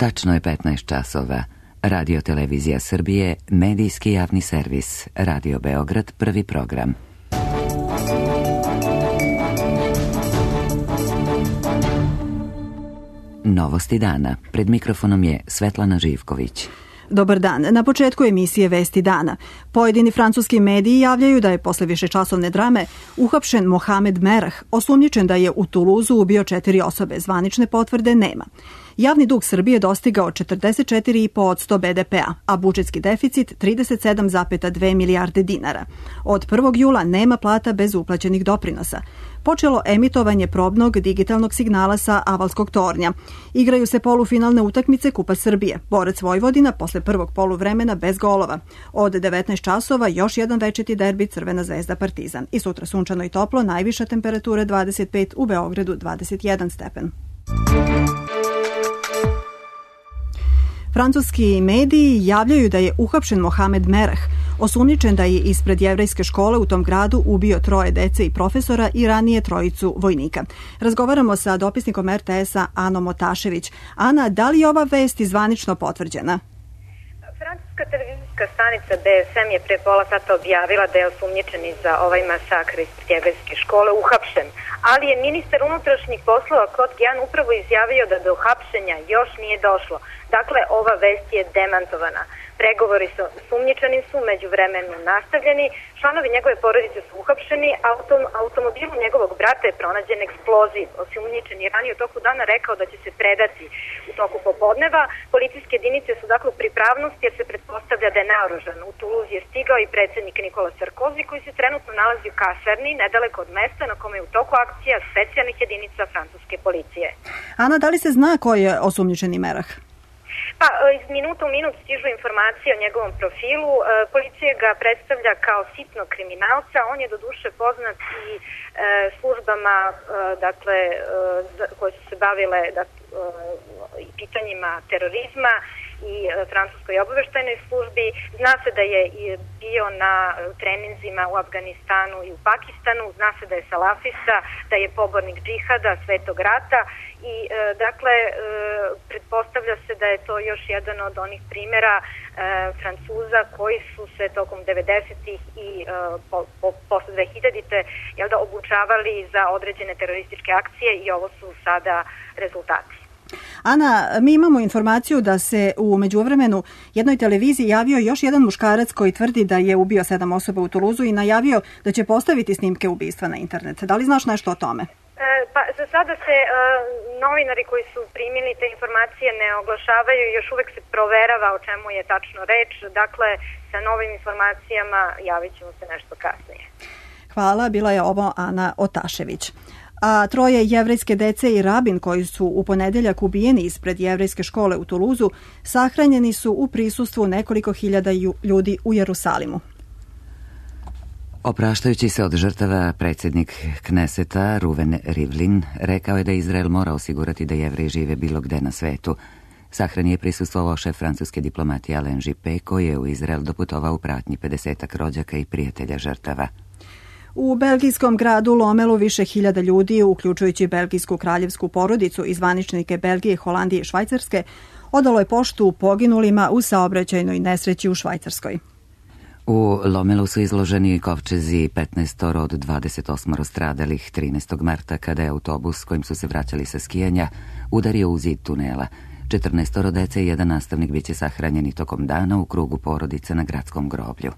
Tačno je 15 časova. Radio Televizija Srbije, medijski javni servis. Radio Beograd, prvi program. Novosti dana. Pred mikrofonom je Svetlana Živković. Dobar dan. Na početku emisije Vesti dana. Pojedini francuski mediji javljaju da je posle višečasovne drame uhapšen Mohamed Merah, osumnjičen da je u Tuluzu ubio 4 osobe. Zvanične potvrde nema. Javni dug Srbije dostigao 44,5% BDP-a, a budžetski deficit 37,2 milijarde dinara. Od 1. jula nema plata bez uplaćenih doprinosa. Počelo emitovanje probnog digitalnog signala sa Avalskog tornja. Igraju se polufinalne utakmice Kupa Srbije. Borac Vojvodina posle prvog poluvremena bez golova. Od 19 časova još jedan večiti derbi Crvena zvezda Partizan. I sutra sunčano i toplo, najviša temperatura 25, u Beogradu 21 stepen. Francuski mediji javljaju da je uhapšen Mohamed Merah, osumnjičen da je ispred jevrejske škole u tom gradu ubio 3 dece i profesora i ranije 3 vojnika. Razgovaramo sa dopisnikom RTS-a Anom Otašević. Ana, da li je ova vest zvanično potvrđena? Francuska televizijska stanica BSM je pre pola sata objavila da je osumnjičeni za ovaj masakr ispred jevrejske škole uhapšen, ali je ministar unutrašnjih poslova Claude Guéant upravo izjavio da do hapšenja još nije došlo. Dakle, ova vest je demantovana. Pregovori sa osumnjičenim su međuvremenu nastavljeni, članovi njegove porodice su uhapšeni, a u automobilu njegovog brata je pronađen eksploziv. Osumnjičen je ranije u toku dana rekao da će se predati u toku popodneva. Policijske jedinice su dakle u pripravnosti jer se pretpostavlja da je naoružan. U Toulouse je stigao i predsjednik Nikola Sarkozy koji se trenutno nalazi u kasarni nedaleko od mesta na kome je u toku akcija specijalnih jedinica francuske policije. Ana, da li se zna ko je osumnjičeni Merah? Pa, iz minuta u minut stižu informacije o njegovom profilu. Policija ga predstavlja kao sitnog kriminalca. On je doduše poznat i službama koje su se bavile pitanjima terorizma i francuskoj obaveštajnoj službi. Zna se da je bio na treninzima u Afganistanu i u Pakistanu. Zna se da je salafista, da je pobornik džihada, svetog rata i pretpostavlja se da je to još jedan od onih primjera Francuza koji su se tokom 90-ih i posle 2000-te obučavali za određene terorističke akcije i ovo su sada rezultati. Ana, mi imamo informaciju da se u međuvremenu jednoj televiziji javio još jedan muškarac koji tvrdi da je ubio 7 osoba u Tuluzu i najavio da će postaviti snimke ubistva na internet. Da li znaš nešto o tome? Pa za sada se novinari koji su primili te informacije ne oglašavaju i još uvek se proverava o čemu je tačno reč. Dakle, sa novim informacijama javit ćemo se nešto kasnije. Hvala, bila je ovo Ana Otašević. A 3 jevrejske dece i rabin koji su u ponedeljak ubijeni ispred jevrejske škole u Tuluzu sahranjeni su u prisustvu nekoliko hiljada ljudi u Jerusalimu. Opraštajući se od žrtava, predsjednik Kneseta Ruven Rivlin rekao je da Izrael mora osigurati da Jevreji žive bilo gde na svetu. Sahrani je prisustvovao šef francuske diplomatije Alain Juppé koji je u Izrael doputovao u pratnji 50 rođaka i prijatelja žrtava. U belgijskom gradu Lomelu više hiljada ljudi, uključujući belgijsku kraljevsku porodicu i zvaničnike Belgije, Holandije i Švajcarske, odalo je poštu poginulima u saobraćajnoj nesreći u Švajcarskoj. U Lomelu su izloženi kovčezi 15 od 28 stradalih 13. marta kada je autobus kojim su se vraćali sa skijanja udario u zid tunela. 14 dece i jedan nastavnik biće sahranjeni tokom dana u krugu porodice na gradskom groblju.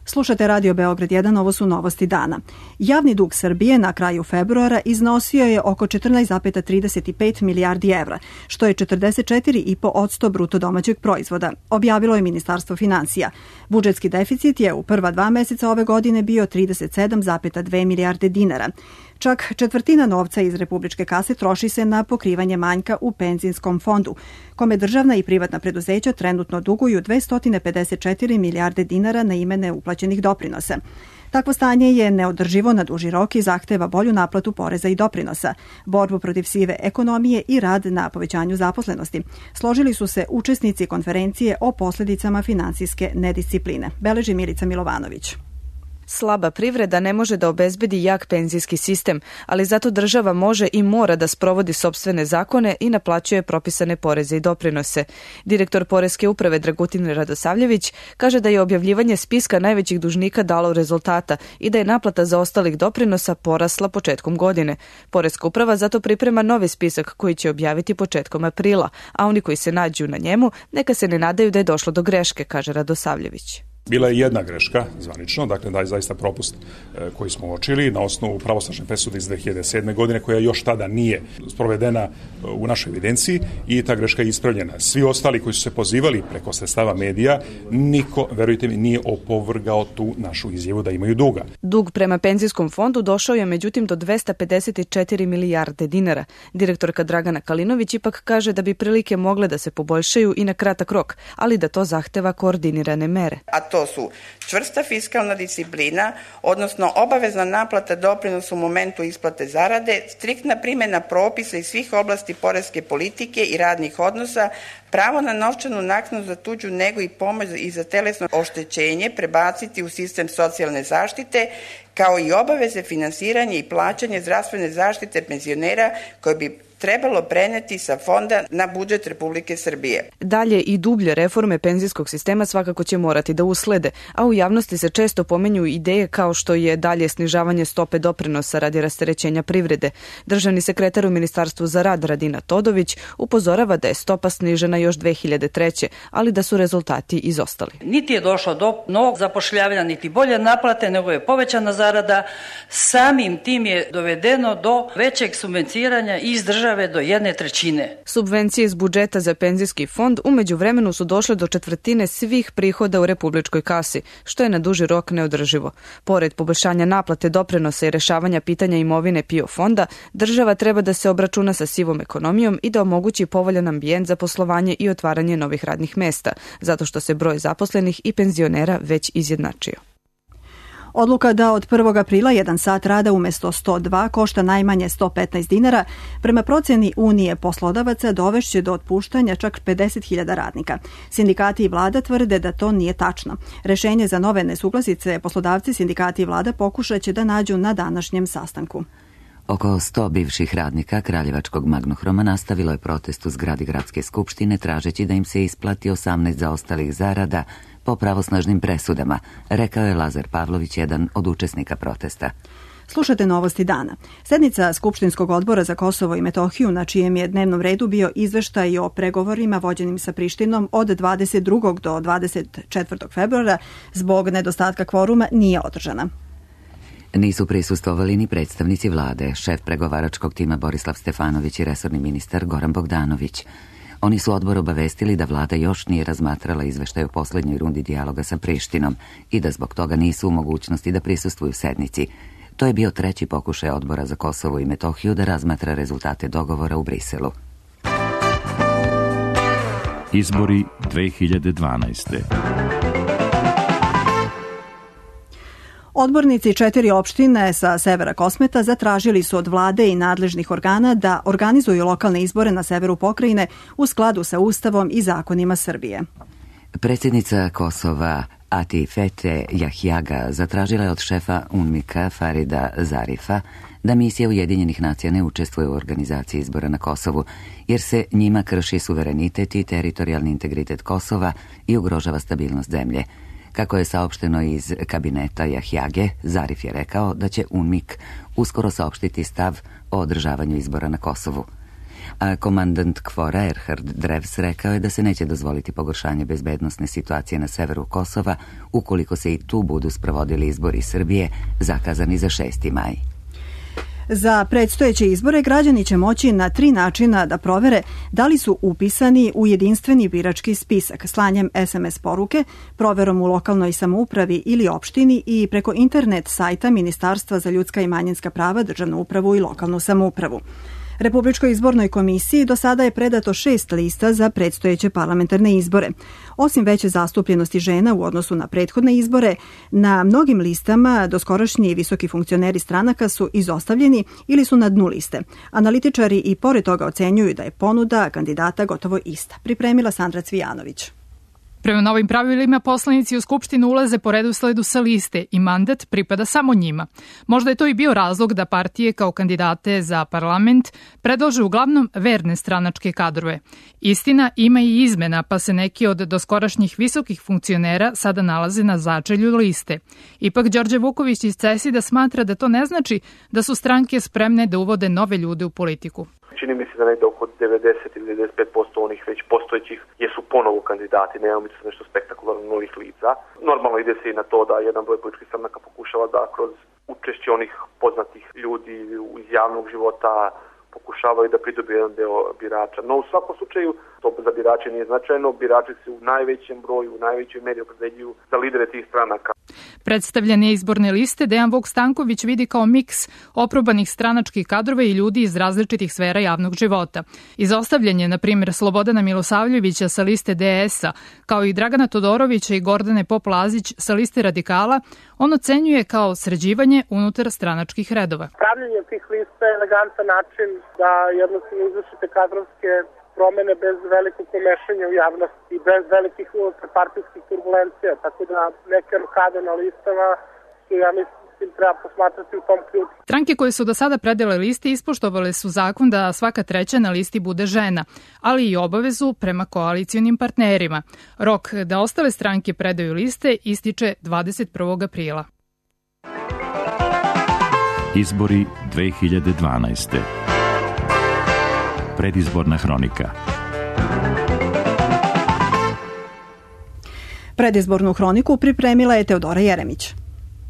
Slušate Radio Beograd 1, ovo su novosti dana. Javni dug Srbije na kraju februara iznosio je oko 14,35 milijardi evra, što je 44,5% bruto domaćeg proizvoda, objavilo je Ministarstvo finansija. Budžetski deficit je u prva 2 meseca ove godine bio 37,2 milijarde dinara. Čak četvrtina novca iz republičke kase troši se na pokrivanje manjka u penzijskom fondu, kome državna i privatna preduzeća trenutno duguju 254 milijarde dinara na ime neuplaćenih doprinosa. Takvo stanje je neodrživo na duži rok i zahteva bolju naplatu poreza i doprinosa, borbu protiv sive ekonomije i rad na povećanju zaposlenosti. Složili su se učesnici konferencije o posljedicama finansijske nediscipline. Beleži Milica Milovanović. Slaba privreda ne može da obezbedi jak penzijski sistem, ali zato država može i mora da sprovodi sopstvene zakone i naplaćuje propisane poreze i doprinose. Direktor Poreske uprave Dragutin Radosavljević kaže da je objavljivanje spiska najvećih dužnika dalo rezultata i da je naplata zaostalih doprinosa porasla početkom godine. Poreska uprava zato priprema novi spisak koji će objaviti početkom aprila, a oni koji se nađu na njemu neka se ne nadaju da je došlo do greške, kaže Radosavljević. Bila je jedna greška, zvanično, dakle da je zaista propust koji smo uočili na osnovu pravosnažne presude iz 2007. godine koja još tada nije sprovedena u našoj evidenciji i ta greška je ispravljena. Svi ostali koji su se pozivali preko sredstava medija, niko, verujte mi, nije opovrgao tu našu izjavu da imaju duga. Dug prema penzijskom fondu došao je međutim do 254 milijarde dinara. Direktorka Dragana Kalinović ipak kaže da bi prilike mogle da se poboljšaju i na kratak rok, ali da to zahteva koordinirane mere. To su čvrsta fiskalna disciplina, odnosno obavezna naplata doprinosa u momentu isplate zarade, striktna primjena propisa iz svih oblasti poreske politike i radnih odnosa, pravo na novčanu naknadu za tuđu negu i pomoć i za telesno oštećenje prebaciti u sistem socijalne zaštite, kao i obaveze finansiranja i plaćanje zdravstvene zaštite penzionera koje bi trebalo preneti sa fonda na budžet Republike Srbije. Dalje i dublje reforme penzijskog sistema svakako će morati da uslede, a u javnosti se često pomenju ideje kao što je dalje snižavanje stope doprinosa radi rasterećenja privrede. Državni sekretar u Ministarstvu za rad Radina Todović upozorava da je stopa snižena još 2003. ali da su rezultati izostali. Niti je došlo do novog zapošljavanja, niti bolje naplate, nego je povećana zarada. Samim tim je dovedeno do većeg subvencioniranja iz države do 1/3. Subvencije iz budžeta za penzijski fond u međuvremenu su došle do 1/4 svih prihoda u republičkoj kasi, što je na duži rok neodrživo. Pored poboljšanja naplate doprinosa i rešavanja pitanja imovine PIO fonda, država treba da se obračuna sa sivom ekonomijom i da omogući povoljan ambijent za poslovanje i otvaranje novih radnih mesta, zato što se broj zaposlenih i penzionera već izjednačio. Odluka da od 1. aprila 1 sat rada umesto 102 košta najmanje 115 dinara, prema proceni Unije poslodavaca dovešće do otpuštanja čak 50.000 radnika. Sindikati i vlada tvrde da to nije tačno. Rešenje za nove nesuglasice poslodavci, sindikati i vlada pokušaće da nađu na današnjem sastanku. Oko 100 bivših radnika Kraljevačkog Magnohroma nastavilo je protest u zgradi Gradske skupštine tražeći da im se isplati 18 zaostalih zarada po pravosnažnim presudama, rekao je Lazar Pavlović, jedan od učesnika protesta. Slušate novosti dana. Sednica Skupštinskog odbora za Kosovo i Metohiju, na čijem je dnevnom redu bio izveštaj o pregovorima vođenim sa Prištinom od 22. do 24. februara, zbog nedostatka kvoruma nije održana. Nisu prisustvovali ni predstavnici vlade, šef pregovaračkog tima Borislav Stefanović i resorni ministar Goran Bogdanović. Oni su odbor obavestili da vlada još nije razmatrala izveštaj o poslednjoj rundi dijaloga sa Prištinom i da zbog toga nisu u mogućnosti da prisustvuju sednici. To je bio treći pokušaj odbora za Kosovo i Metohiju da razmatra rezultate dogovora u Briselu. Izbori 2012. Odbornici 4 opštine sa severa Kosmeta zatražili su od vlade i nadležnih organa da organizuju lokalne izbore na severu pokrajine u skladu sa Ustavom i zakonima Srbije. Predsjednica Kosova Atifete Jahjaga zatražila je od šefa UNMIK-a Farida Zarifa da misija Ujedinjenih nacija ne učestvuje u organizaciji izbora na Kosovu, jer se njima krši suverenitet i teritorijalni integritet Kosova i ugrožava stabilnost zemlje. Kako je saopšteno iz kabineta Jahjage, Zarif je rekao da će UNMIK uskoro saopštiti stav o održavanju izbora na Kosovu. A komandant KFOR-a Erhard Drevs rekao je da se neće dozvoliti pogoršanje bezbednosne situacije na severu Kosova ukoliko se i tu budu sprovodili izbori Srbije zakazani za 6. maj. Za predstojeće izbore građani će moći na 3 načina da provere da li su upisani u jedinstveni birački spisak, slanjem SMS poruke, proverom u lokalnoj samoupravi ili opštini i preko internet sajta Ministarstva za ljudska i manjinska prava, državnu upravu i lokalnu samoupravu. Republičkoj izbornoj komisiji do sada je predato 6 lista za predstojeće parlamentarne izbore. Osim veće zastupljenosti žena u odnosu na prethodne izbore, na mnogim listama doskorašnji visoki funkcioneri stranaka su izostavljeni ili su na dnu liste. Analitičari i pored toga ocenjuju da je ponuda kandidata gotovo ista. Pripremila Sandra Cvijanović. Prema novim pravilima, poslanici u Skupštinu ulaze po redosledu sa liste i mandat pripada samo njima. Možda je to i bio razlog da partije kao kandidate za parlament predlaže uglavnom verne stranačke kadrove. Istina, ima i izmena, pa se neki od doskorašnjih visokih funkcionera sada nalaze na začelju liste. Ipak, Đorđe Vuković iz CESID-a smatra da to ne znači da su stranke spremne da uvode nove ljude u politiku. Čini mi se da negde oko 90 ili 95% onih već postojećih jesu ponovo kandidati, nema mi se nešto spektakularno novih lica. Normalno ide se i na to da jedan broj političkih stranaka pokušava da kroz učešće onih poznatih ljudi iz javnog života pokušavaju da pridobiju jedan deo birača. No u svakom slučaju to za birače nije značajno, birači se u najvećem broju, u najvećoj meri opredeljuju za lidere tih stranaka. Predstavljanje izborne liste Dejan Vuk Stanković vidi kao miks oprobanih stranačkih kadrova i ljudi iz različitih sfera javnog života. Izostavljanje, na primjer, Slobodana Milosavljevića sa liste DS-a, kao i Dragana Todorovića i Gordane Pop-Lazić sa liste Radikala, on ocenjuje kao sređivanje unutar stranačkih redova. Pravljenje tih lista je elegantan način da jednostavno izvršite kadrovske promene bez velikog umešanja u javnost i bez velikih unutarpartijskih turbulencija, tako da neke rokade na listama su, ja mislim, treba posmatrati u tom ključu. Stranke koje su do sada predale liste ispoštovale su zakon da svaka treća na listi bude žena, ali i obavezu prema koalicijonim partnerima. Rok da ostale stranke predaju liste ističe 21. aprila. Izbori 2012. Predizborna hronika. Predizbornu hroniku pripremila je Teodora Jeremić.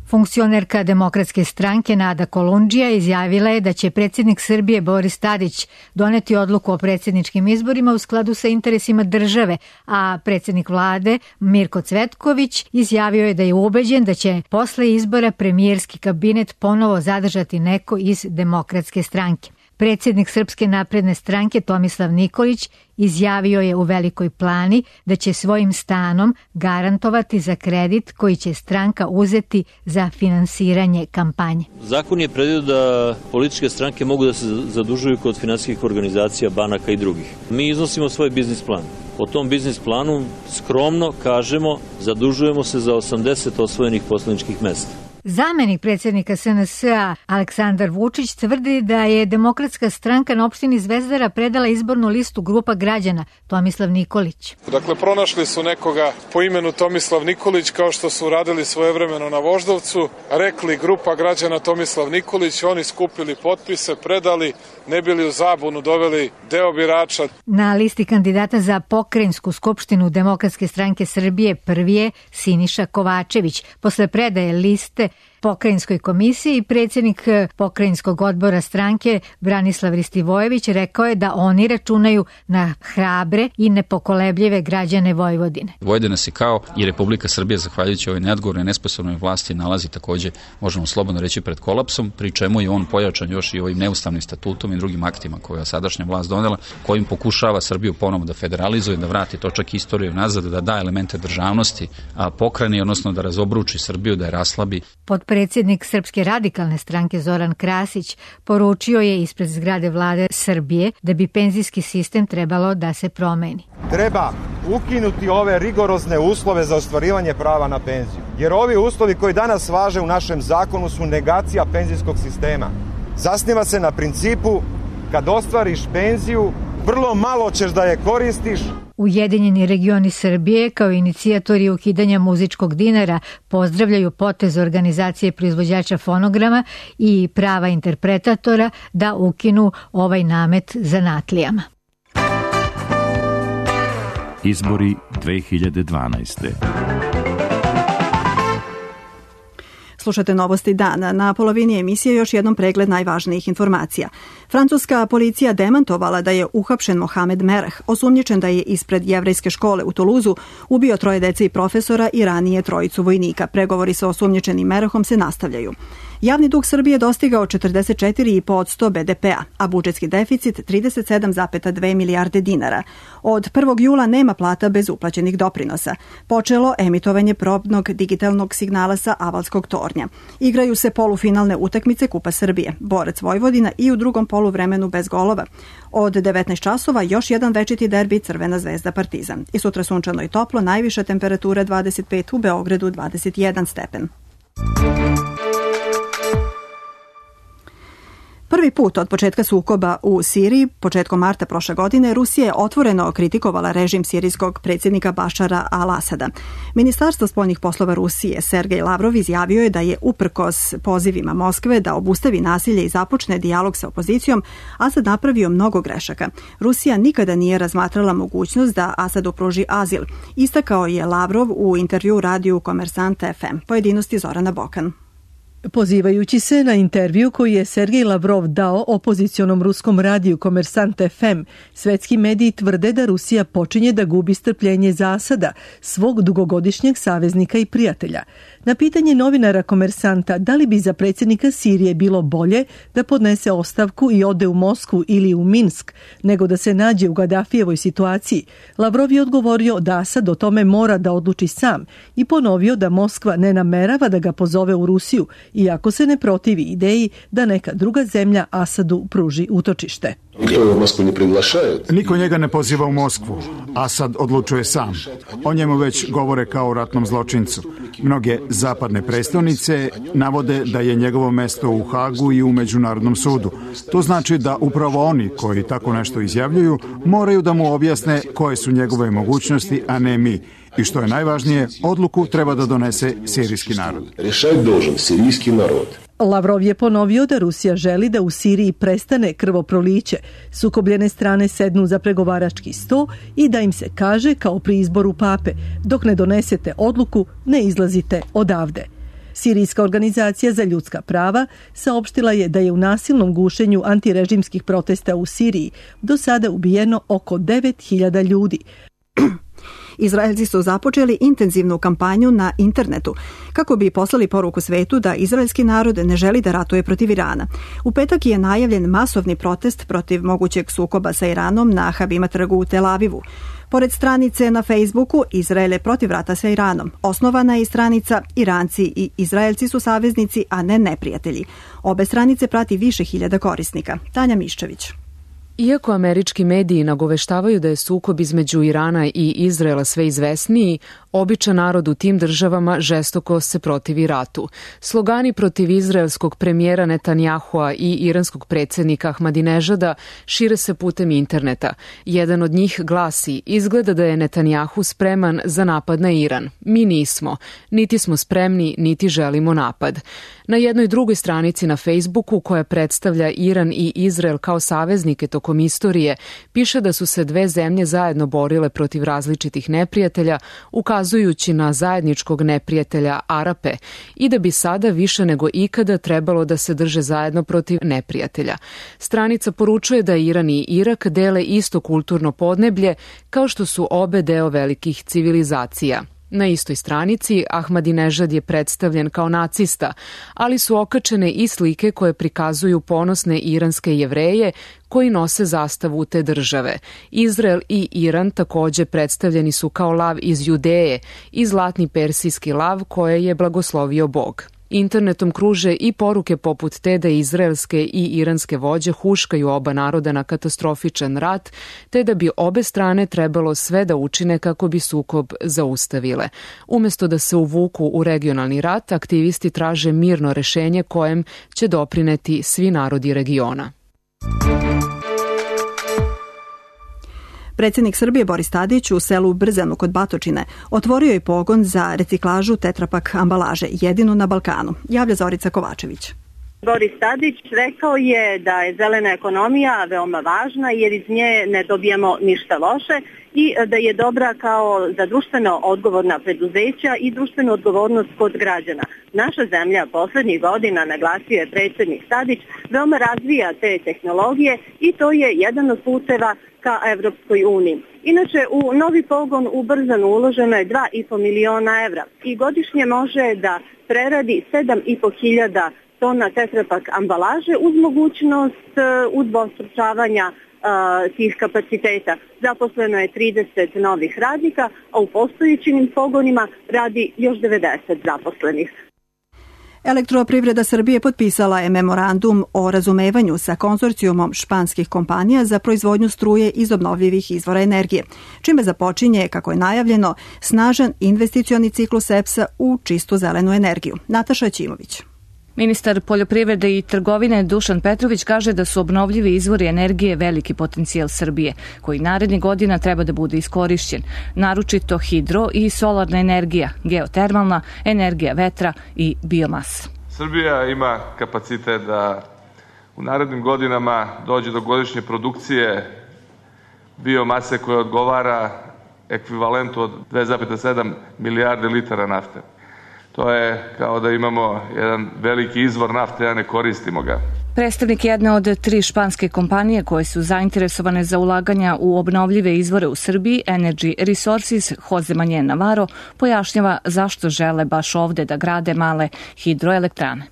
Funkcionerka Demokratske stranke Nada Kolundžija izjavila je da će predsjednik Srbije Boris Tadić doneti odluku o predsjedničkim izborima u skladu sa interesima države, a predsjednik vlade Mirko Cvetković izjavio je da je ubeđen da će posle izbora premijerski kabinet ponovo zadržati neko iz Demokratske stranke. Predsjednik Srpske napredne stranke Tomislav Nikolić izjavio je u Velikoj Plani da će svojim stanom garantovati za kredit koji će stranka uzeti za finansiranje kampanje. Zakon je predvidio da političke stranke mogu da se zadužuju kod finansijskih organizacija, banaka i drugih. Mi iznosimo svoj biznis plan. Po tom biznis planu skromno kažemo zadužujemo se za 80 osvojenih poslaničkih mesta. Zamenik predsjednika SNS-a Aleksandar Vučić tvrdi da je Demokratska stranka na opštini Zvezdara predala izbornu listu grupa građana Tomislav Nikolić. Dakle, pronašli su nekoga po imenu Tomislav Nikolić, kao što su uradili svojevremeno na Voždovcu, rekli grupa građana Tomislav Nikolić, oni skupili potpise, predali, ne bili u zabunu doveli deo birača. Na listi kandidata za pokrajinsku skupštinu Demokratske stranke Srbije prvi je Siniša Kovačević. Posle predaje liste pokrajinskoj komisiji, predsjednik pokrajinskog odbora stranke Branislav Ristivojević rekao je da oni računaju na hrabre i nepokolebljive građane Vojvodine. Vojvodina se kao i Republika Srbija, zahvaljujući ovoj neodgovornoj, nesposobnoj vlasti, nalazi takođe, možemo slobodno reći, pred kolapsom, pri čemu je on pojačan još i ovim neustavnim statutom i drugim aktima koje je sadašnja vlast donela, kojim pokušava Srbiju ponovo da federalizuje, da vrati točak istoriju nazad, da da elemente državnosti pokrajini, odnosno da razobruči Srbiju, da je raslabi. Potpredsjednik Srpske radikalne stranke Zoran Krasić poručio je ispred zgrade vlade Srbije da bi penzijski sistem trebalo da se promeni. Treba ukinuti ove rigorozne uslove za ostvarivanje prava na penziju, jer ovi uslovi koji danas važe u našem zakonu su negacija penzijskog sistema. Zasniva se na principu kad ostvariš penziju, vrlo malo ćeš da je koristiš. Ujedinjeni regioni Srbije kao inicijatori ukidanja muzičkog dinara pozdravljaju potez organizacije proizvođača fonograma i prava interpretatora da ukinu ovaj namet zanatlijama. Izbori 2012. Slušate Novosti dana. Na polovini emisije još jednom pregled najvažnijih informacija. Francuska policija demantovala da je uhapšen Mohamed Merah, osumnjičen da je ispred jevrejske škole u Tuluzu ubio 3 dece i profesora i ranije 3 vojnika. Pregovori sa osumnjičenim Merahom se nastavljaju. Javni dug Srbije dostigao 44,5% BDP-a, a budžetski deficit 37,2 milijarde dinara. Od 1. jula nema plata bez uplaćenih doprinosa. Počelo emitovanje probnog digitalnog signala sa Avalskog tornja. Igraju se polufinalne utakmice Kupa Srbije, Borac Vojvodina i u drugom poluvremenu bez golova. Od 19 časova još jedan večiti derbi Crvena zvezda Partizan. I sutra sunčano i toplo, najviša temperatura 25, u Beogradu 21 stepen. Prvi put od početka sukoba u Siriji, početkom marta prošle godine, Rusija je otvoreno kritikovala režim sirijskog predsjednika Bašara al-Asada. Ministarstvo spoljnih poslova Rusije, Sergej Lavrov, izjavio je da je uprkos pozivima Moskve da obustavi nasilje i započne dijalog sa opozicijom, Asad napravio mnogo grešaka. Rusija nikada nije razmatrala mogućnost da Asadu pruži azil, istakao je Lavrov u intervju radiju Komersant FM. Pojedinosti Zorana Bokan. Pozivajući se na intervju koji je Sergej Lavrov dao opozicionom ruskom radiju Komersant FM, svetski mediji tvrde da Rusija počinje da gubi strpljenje za Asada, svog dugogodišnjeg saveznika i prijatelja. Na pitanje novinara Komersanta da li bi za predsjednika Sirije bilo bolje da podnese ostavku i ode u Moskvu ili u Minsk, nego da se nađe u Gadafijevoj situaciji, Lavrov je odgovorio da Asad o tome mora da odluči sam i ponovio da Moskva ne namerava da ga pozove u Rusiju, iako se ne protivi ideji da neka druga zemlja Asadu pruži utočište. Niko njega ne poziva u Moskvu. Asad odlučuje sam. O njemu već govore kao o ratnom zločincu. Mnoge zapadne prestonice navode da je njegovo mesto u Hagu i u Međunarodnom sudu. To znači da upravo oni koji tako nešto izjavljuju moraju da mu objasne koje su njegove mogućnosti, a ne mi. I što je najvažnije, odluku treba da donese sirijski narod. Lavrov je ponovio da Rusija želi da u Siriji prestane krvoproliće, sukobljene strane sednu za pregovarački sto i da im se kaže kao pri izboru pape, dok ne donesete odluku, ne izlazite odavde. Sirijska organizacija za ljudska prava saopštila je da je u nasilnom gušenju antirežimskih protesta u Siriji do sada ubijeno oko 9.000 ljudi. Izraelci su započeli intenzivnu kampanju na internetu kako bi poslali poruku svetu da izraelski narod ne želi da ratuje protiv Irana. U petak je najavljen masovni protest protiv mogućeg sukoba sa Iranom na Habima trgu u Tel Avivu. Pored stranice na Facebooku Izrael je protiv rata sa Iranom. Osnovana je i stranica Iranci i Izraelci su saveznici, a ne neprijatelji. Obe stranice prati više hiljada korisnika. Tanja Miščević. Iako američki mediji nagoveštavaju da je sukob između Irana i Izraela sve izvesniji, običan narod u tim državama žestoko se protivi ratu. Slogani protiv izraelskog premijera Netanjahua i iranskog predsjednika Ahmadinežada šire se putem interneta. Jedan od njih glasi: izgleda da je Netanjahu spreman za napad na Iran. Mi nismo. Niti smo spremni, niti želimo napad. Na jednoj drugoj stranici na Facebooku, koja predstavlja Iran i Izrael kao saveznike tokom istorije, piše da su se dve zemlje zajedno borile protiv različitih neprijatelja, ukazujući na zajedničkog neprijatelja Arape, i da bi sada više nego ikada trebalo da se drže zajedno protiv neprijatelja. Stranica poručuje da Iran i Irak dele isto kulturno podneblje, kao što su obe deo velikih civilizacija. Na istoj stranici Ahmadinežad je predstavljen kao nacista, ali su okačene i slike koje prikazuju ponosne iranske Jevreje koji nose zastavu te države. Izrael i Iran takođe predstavljeni su kao lav iz Judeje i zlatni persijski lav koje je blagoslovio Bog. Internetom kruže i poruke poput te da izraelske i iranske vođe huškaju oba naroda na katastrofičan rat, te da bi obe strane trebalo sve da učine kako bi sukob zaustavile. Umesto da se uvuku u regionalni rat, aktivisti traže mirno rešenje kojem će doprineti svi narodi regiona. Predsjednik Srbije Boris Tadić u selu Brzanu kod Batočine otvorio je pogon za reciklažu tetrapak ambalaže, jedinu na Balkanu. Javlja Zorica Kovačević. Boris Tadić rekao je da je zelena ekonomija veoma važna jer iz nje ne dobijemo ništa loše i da je dobra kao za društveno odgovorna preduzeća i društvenu odgovornost kod građana. Naša zemlja poslednjih godina, naglasio je predsjednik Tadić, veoma razvija te tehnologije i to je jedan od puteva ka Evropskoj uniji. Inače, u novi pogon u Brzanu uloženo je 2,5 miliona evra i godišnje može da preradi 7.500 tona tetrapak ambalaže uz mogućnost udvostručavanja tih kapaciteta. Zaposleno je 30 novih radnika, a u postojećim pogonima radi još 90 zaposlenih. Elektroprivreda Srbije potpisala je memorandum o razumevanju sa konzorcijumom španskih kompanija za proizvodnju struje iz obnovljivih izvora energije, čime započinje, kako je najavljeno, snažan investicioni ciklus EPS-a u čistu zelenu energiju. Nataša Ćimović. Ministar poljoprivrede i trgovine Dušan Petrović kaže da su obnovljivi izvori energije veliki potencijal Srbije, koji narednih godina treba da bude iskorišćen, naročito hidro i solarna energija, geotermalna, energija vetra i biomasa. Srbija ima kapacitet da u narednim godinama dođe do godišnje produkcije biomase koja odgovara ekvivalentu od 2,7 milijarde litara nafte. To je kao da imamo jedan veliki izvor nafte, a ne koristimo ga. Predstavnik jedne od 3 španske kompanije koje su zainteresovane za ulaganja u obnovljive izvore u Srbiji, Energy Resources, Jose Manuel Navarro, pojašnjava zašto žele baš ovde da grade male hidroelektrane.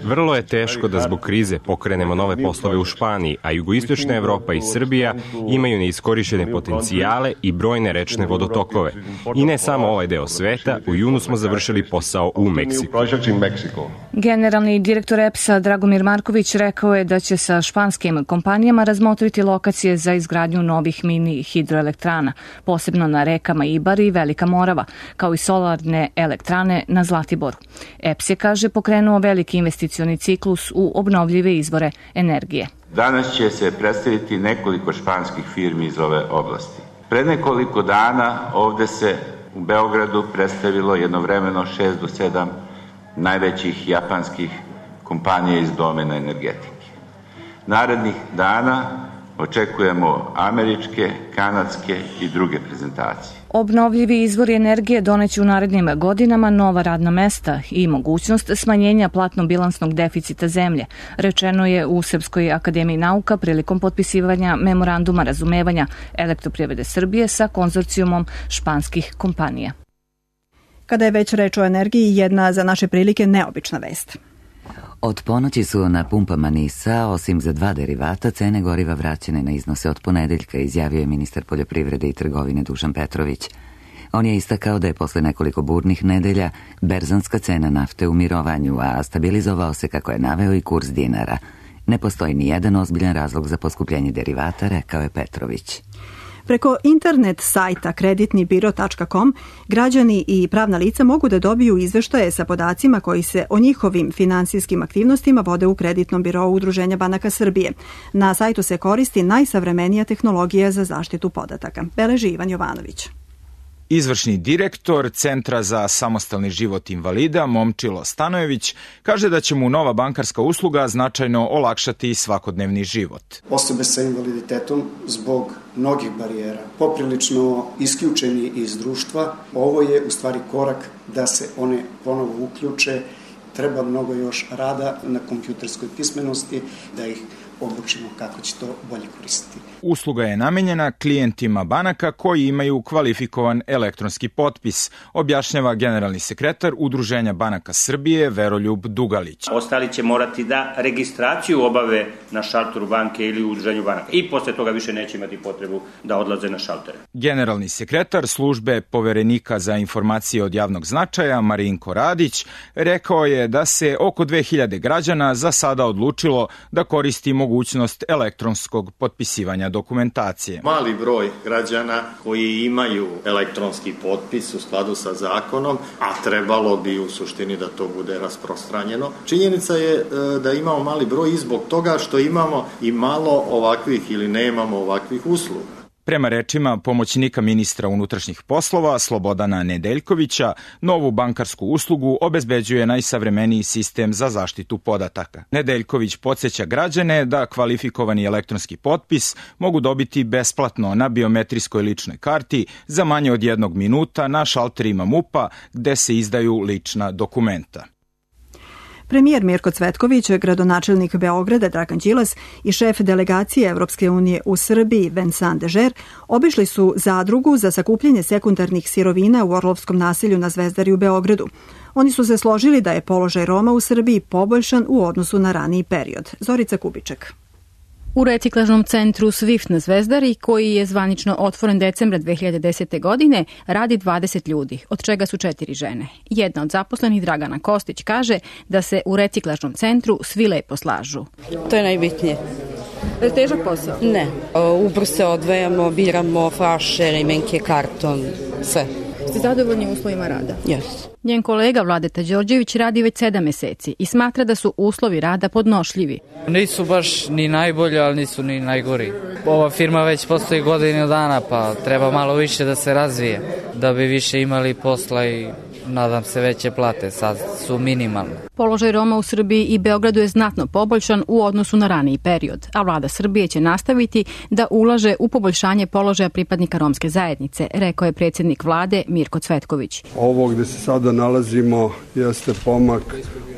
Vrlo je teško da zbog krize pokrenemo nove poslove u Španiji, a jugoistočna Evropa i Srbija imaju neiskorišćene potencijale i brojne rečne vodotokove. I ne samo ovaj deo sveta, u junu smo završili posao u Meksiku. Generalni direktor EPS-a Dragomir Marković rekao je da će sa španskim kompanijama razmotriti lokacije za izgradnju novih mini hidroelektrana, posebno na rekama Ibar i Velika Morava, kao i solarne elektrane na Zlatiboru. EPS je, kaže, pokrenuo veliki investicioni ciklus u obnovljive izvore energije. Danas će se predstaviti nekoliko španskih firmi iz ove oblasti. Pred nekoliko dana ovde se u Beogradu predstavilo jednovremeno 6 do 7 najvećih japanskih kompanija iz domena energetike. Narednih dana očekujemo američke, kanadske i druge prezentacije. Obnovljivi izvori energije doneće u narednim godinama nova radna mesta i mogućnost smanjenja platno-bilansnog deficita zemlje, rečeno je u Srpskoj akademiji nauka prilikom potpisivanja memoranduma razumevanja Elektroprivrede Srbije sa konzorcijumom španskih kompanija. Kada je već reč o energiji, jedna za naše prilike neobična vest. Od ponoći su na pumpama NIS-a, osim za 2 derivata, cene goriva vraćene na iznose od ponedeljka, izjavio je ministar poljoprivrede i trgovine Dušan Petrović. On je istakao da je posle nekoliko burnih nedelja berzanska cena nafte u mirovanju, a stabilizovao se, kako je naveo, i kurs dinara. Ne postoji ni jedan ozbiljan razlog za poskupljenje derivata, rekao je Petrović. Preko internet sajta kreditnibiro.com građani i pravna lica mogu da dobiju izveštaje sa podacima koji se o njihovim finansijskim aktivnostima vode u Kreditnom birou Udruženja banaka Srbije. Na sajtu se koristi najsavremenija tehnologija za zaštitu podataka. Beleži Ivan Jovanović. Izvršni direktor Centra za samostalni život invalida Momčilo Stanojević kaže da će mu nova bankarska usluga značajno olakšati svakodnevni život. Osobe sa invaliditetom zbog mnogih barijera, poprilično isključeni iz društva, ovo je u stvari korak da se one ponovo uključe. Treba mnogo još rada na kompjuterskoj pismenosti da ih obučimo kako će to bolje koristiti. Usluga je namenjena klijentima banaka koji imaju kvalifikovan elektronski potpis, objašnjava generalni sekretar Udruženja banaka Srbije Veroljub Dugalić. Ostali će morati da registraciju obave na šalteru banke ili u Udruženju banaka i posle toga više neće imati potrebu da odlaze na šaltere. Generalni sekretar službe Poverenika za informacije od javnog značaja Marinko Radić rekao je da se oko 2000 građana za sada odlučilo da koristi mogućnost elektronskog potpisivanja dokumentacije. Mali broj građana koji imaju elektronski potpis u skladu sa zakonom, a trebalo bi u suštini da to bude rasprostranjeno. Činjenica je da imamo mali broj i zbog toga što imamo i malo ovakvih ili nemamo ovakvih usluga. Prema rečima pomoćnika ministra unutrašnjih poslova Slobodana Nedeljkovića, novu bankarsku uslugu obezbeđuje najsavremeniji sistem za zaštitu podataka. Nedeljković podsjeća građane da kvalifikovani elektronski potpis mogu dobiti besplatno na biometrijskoj ličnoj karti za manje od 1 minuta na šalterima MUP-a gde se izdaju lična dokumenta. Premijer Mirko Cvetković, gradonačelnik Beograda Dragan Đilas i šef delegacije Evropske unije u Srbiji Vincent Dežer obišli su zadrugu za sakupljanje sekundarnih sirovina u Orlovskom naselju na Zvezdari u Beogradu. Oni su se složili da je položaj Roma u Srbiji poboljšan u odnosu na raniji period. Zorica Kubiček. U reciklažnom centru Swift na Zvezdari, koji je zvanično otvoren decembra 2010. godine, radi 20 ljudi, od čega su 4 žene. Jedna od zaposlenih, Dragana Kostić, kaže da se u reciklažnom centru svi lepo slažu. To je najbitnije. Težak posao? Ne. Ubrzo odvajamo, biramo flaše, remenke, karton, sve. Ste zadovoljni uslovima rada? Yes. Njen kolega Vladeta Đorđević radi već 7 meseci i smatra da su uslovi rada podnošljivi. Nisu baš ni najbolji, ali nisu ni najgori. Ova firma već postoji godinu dana, pa treba malo više da se razvije, da bi više imali posla i nadam se veće plate, sad su minimalne. Položaj Roma u Srbiji i Beogradu je znatno poboljšan u odnosu na raniji period, a vlada Srbije će nastaviti da ulaže u poboljšanje položaja pripadnika romske zajednice, rekao je predsjednik vlade Mirko Cvetković. Ovo gde se sada nalazimo jeste pomak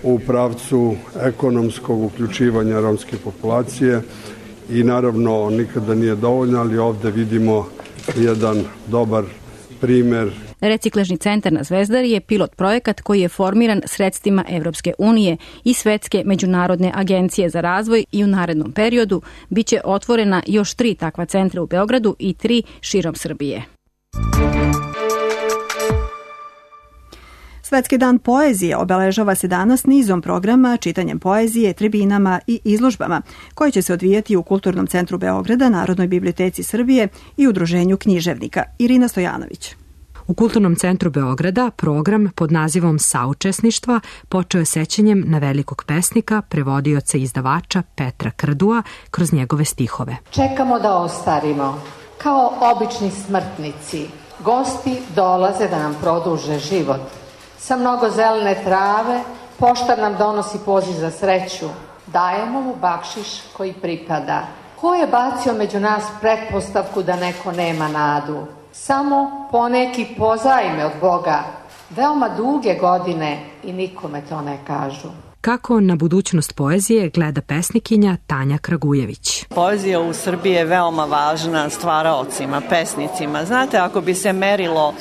u pravcu ekonomskog uključivanja romske populacije i naravno nikada nije dovoljno, ali ovde vidimo jedan dobar primer. Reciklažni centar na Zvezdari je pilot projekat koji je formiran sredstvima Evropske unije i Svetske međunarodne agencije za razvoj i u narednom periodu biće otvorena još 3 takva centra u Beogradu i 3 širom Srbije. Svetski dan poezije obeležava se danas nizom programa, čitanjem poezije, tribinama i izložbama, koje će se odvijati u Kulturnom centru Beograda, Narodnoj biblioteci Srbije i Udruženju književnika. Irina Stojanović. U Kulturnom centru Beograda program pod nazivom Saučesništva počeo je sećanjem na velikog pesnika, prevodioca i izdavača Petra Krdua kroz njegove stihove. Čekamo da ostarimo, kao obični smrtnici. Gosti dolaze da nam produže život. Sa mnogo zelene trave, poštar nam donosi poziv za sreću. Dajemo mu bakšiš koji pripada. Ko je bacio među nas pretpostavku da neko nema nadu? Samo poneki pozajme od Boga, veoma duge godine i nikome to ne kažu. Kako na budućnost poezije gleda pesnikinja Tanja Kragujević. Poezija u Srbiji je veoma važna stvaraocima, pesnicima. Znate, ako bi se merilo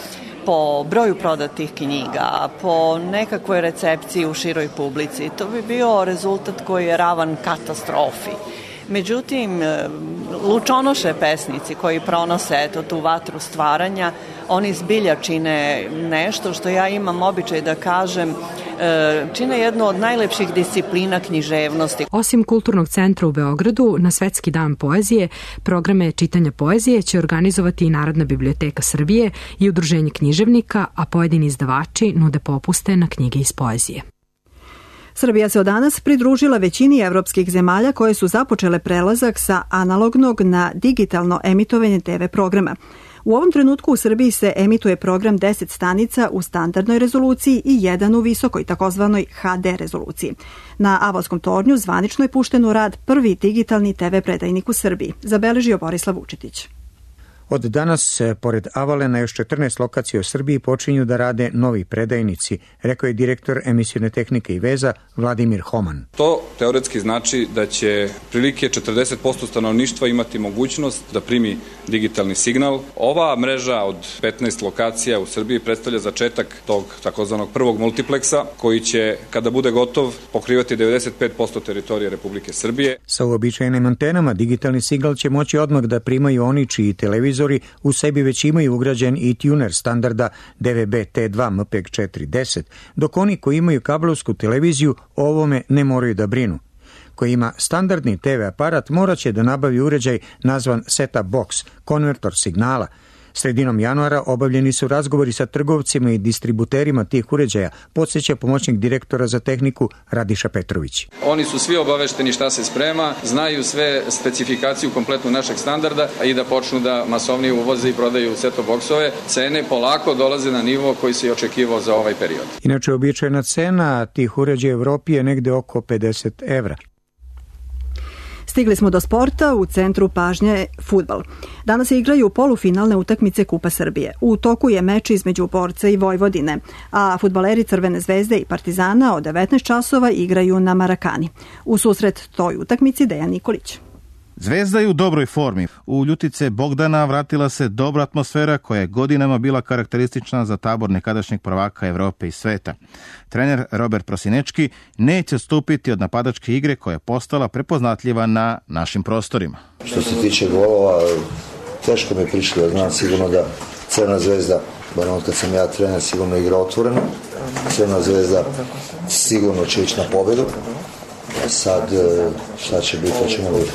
po broju prodatih knjiga, po nekakvoj recepciji u široj publici, to bi bio rezultat koji je ravan katastrofi. Međutim, lučonoše pesnici koji pronose tu vatru stvaranja, oni zbilja čine nešto što ja imam običaj da kažem, čine jednu od najlepših disciplina književnosti. Osim Kulturnog centra u Beogradu, na Svetski dan poezije, programe čitanja poezije će organizovati i Narodna biblioteka Srbije i Udruženje književnika, a pojedini izdavači nude popuste na knjige iz poezije. Srbija se od danas pridružila većini evropskih zemalja koje su započele prelazak sa analognog na digitalno emitovanje TV programa. U ovom trenutku u Srbiji se emituje program 10 stanica u standardnoj rezoluciji i 1 u visokoj, takozvanoj HD rezoluciji. Na Avalskom tornju zvanično je pušten u rad prvi digitalni TV predajnik u Srbiji, zabeležio Borislav Vučetić. Od danas, pored Avale, na još 14 lokacija u Srbiji počinju da rade novi predajnici, rekao je direktor emisione tehnike i veza Vladimir Homan. To teoretski znači da će prilike 40% stanovništva imati mogućnost da primi digitalni signal. Ova mreža od 15 lokacija u Srbiji predstavlja začetak tog takozvanog prvog multipleksa, koji će, kada bude gotov, pokrivati 95% teritorije Republike Srbije. Sa uobičajenim antenama digitalni signal će moći odmah da primaju oni čiji televizor u sebi već imaju ugrađen i tuner standarda DVB-T2 MPEG 410, dok oni koji imaju kablovsku televiziju o ovome ne moraju da brinu. Ko ima standardni TV aparat morat će da nabavi uređaj nazvan set-up box, konvertor signala. Sredinom januara obavljeni su razgovori sa trgovcima i distributerima tih uređaja, podsjeća pomoćnik direktora za tehniku Radiša Petrović. Oni su svi obavešteni šta se sprema, znaju sve specifikaciju kompletnu našeg standarda i da počnu da masovnije uvoze i prodaju set-top boksove. Cene polako dolaze na nivo koji se i očekivao za ovaj period. Inače, običajna cena tih uređaja u Evropi je negde oko 50 evra. Stigli smo do sporta, u centru pažnje fudbal. Danas se igraju polufinalne utakmice Kupa Srbije. U toku je meč između Borca i Vojvodine, a fudbaleri Crvene zvezde i Partizana od 19 časova igraju na Marakani. U susret toj utakmici Dejan Nikolić. Zvezda je u dobroj formi. U ljutice Bogdana vratila se dobra atmosfera koja je godinama bila karakteristična za tabor nekadašnjeg prvaka Evrope i sveta. Trener Robert Prosinečki neće odstupiti od napadačke igre koja je postala prepoznatljiva na našim prostorima. Što se tiče golova, teško mi je prišlo. Znam sigurno da Crvena zvezda, bar ono kad sam ja trener, sigurno igra otvoreno. Crvena zvezda sigurno će ići na pobedu. Sad, šta će biti, to ćemo vidjeti.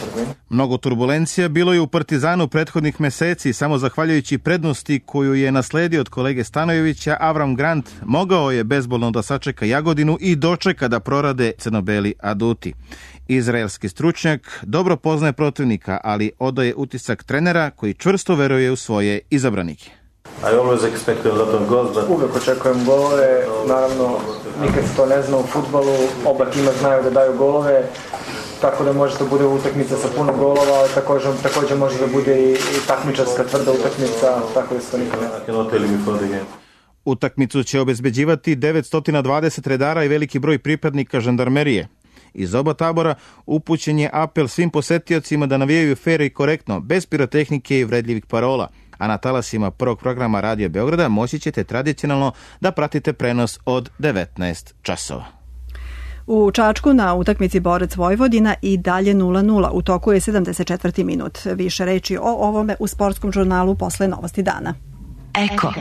Mnogo turbulencija bilo je u Partizanu prethodnih meseci. Samo zahvaljujući prednosti koju je nasledio od kolege Stanojevića, Avram Grant mogao je bezbolno da sačeka Jagodinu i dočeka da prorade crno-beli aduti. Izraelski stručnjak dobro poznaje protivnika, ali odaje utisak trenera koji čvrsto veruje u svoje izabranike. Uvijek očekujem golove, naravno nikad se to ne zna u fudbalu, oba tima znaju da daju golove, tako da može da bude utakmica sa puno golova, ali također može da bude i takmičarska tvrda utakmica, tako da se to nikad ne zna. Utakmicu će obezbeđivati 920 redara i veliki broj pripadnika žandarmerije. Iz oba tabora upućen je apel svim posetiocima da navijaju fer i korektno, bez pirotehnike i vredljivih parola. A na talasima prvog programa Radio Beograda moći ćete tradicionalno da pratite prenos od 19 časova. U Čačku na utakmici Borac Vojvodina i dalje 0-0. U toku je 74. minut. Više reči o ovome u sportskom žurnalu posle Novosti dana. Eko.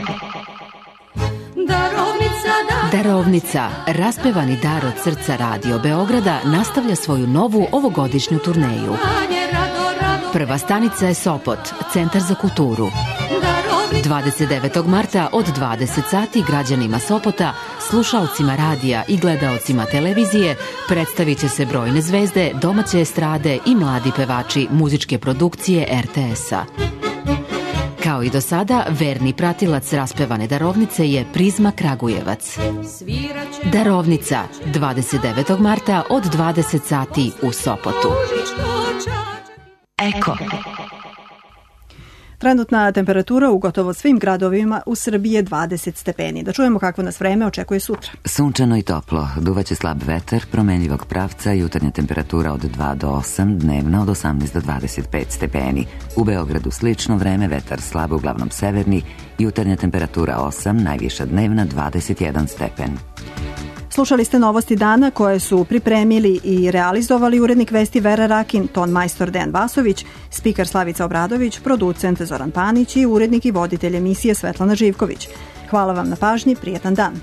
Darovnica, raspevani dar od srca Radio Beograda, nastavlja svoju novu ovogodišnju turneju. Prva stanica je Sopot, Centar za kulturu. 29. marta od 20 sati građanima Sopota, slušalcima radija i gledaocima televizije predstavit će se brojne zvezde, domaće estrade i mladi pevači muzičke produkcije RTS-a. Kao i do sada, verni pratilac raspevane darovnice je Prizma Kragujevac. Darovnica, 29. marta od 20 sati u Sopotu. Eko. Trenutna temperatura u gotovo svim gradovima u Srbiji je 20 stepeni. Da čujemo kakvo nas vreme očekuje sutra. Sunčano i toplo, duvaće slab vetar, promenljivog pravca, jutarnja temperatura od 2 do 8, dnevna od 18 do 25 stepeni. U Beogradu slično vreme, vetar slab, uglavnom severni, jutarnja temperatura 8, najviša dnevna 21 stepen. Slušali ste Novosti dana koje su pripremili i realizovali urednik vesti Vera Rakin, ton majstor Dejan Vasović, spiker Slavica Obradović, producent Zoran Panić i urednik i voditelj emisije Svetlana Živković. Hvala vam na pažnji, prijetan dan.